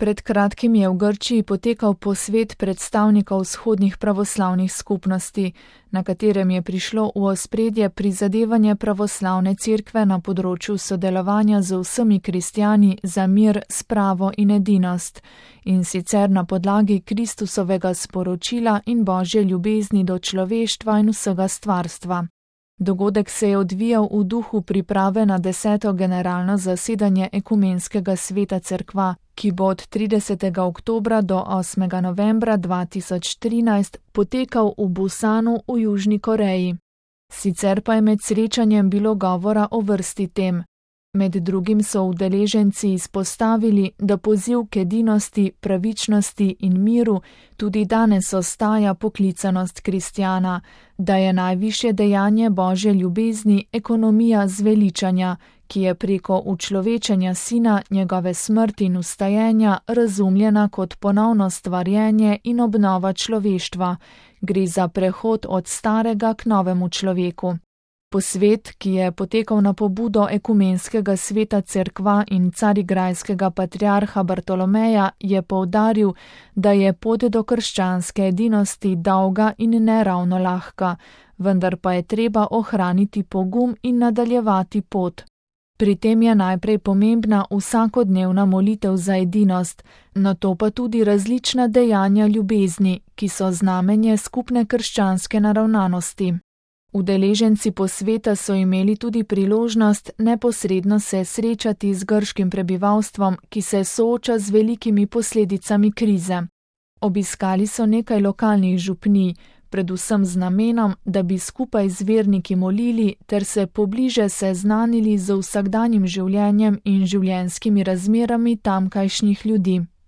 Pred kratkim je v Grčiji potekal posvet predstavnikov vzhodnih pravoslavnih skupnosti, na katerem je prišlo v ospredje prizadevanje pravoslavne cerkve na področju sodelovanja z vsemi kristjani za mir, spravo in edinost, in sicer na podlagi Kristusovega sporočila in Božje ljubezni do človeštva in vsega stvarstva. Dogodek se je odvijal v duhu priprave na 10. generalno zasedanje Ekumenskega sveta cerkva, ki bo od 30. oktobra do 8. novembra 2013 potekal v Busanu v Južni Koreji. Sicer pa je med srečanjem bilo govora o vrsti tem. Med drugim so udeleženci izpostavili, da poziv k edinosti, pravičnosti in miru tudi danes ostaja poklicanost kristjana, da je najvišje dejanje Božje ljubezni ekonomija zveličanja, ki je preko učlovečenja Sina, njegove smrti in vstajenja razumljena kot ponovno stvarjenje in obnova človeštva. Gre za prehod od starega k novemu človeku. Posvet, ki je potekal na pobudo Ekumenskega sveta cerkva in carigrajskega patriarha Bartolomeja, je poudaril, da je pot do krščanske edinosti dolga in ne ravno lahka, vendar pa je treba ohraniti pogum in nadaljevati pot. Pri tem je najprej pomembna vsakodnevna molitev za edinost, nato pa tudi različna dejanja ljubezni, ki so znamenje skupne krščanske naravnanosti. Udeleženci posveta so imeli tudi priložnost neposredno se srečati z grškim prebivalstvom, ki se sooča z velikimi posledicami krize. Obiskali so nekaj lokalnih župnij, predvsem z namenom, da bi skupaj z verniki molili ter se pobliže seznanili z vsakdanjim življenjem in življenjskimi razmerami tamkajšnjih ljudi.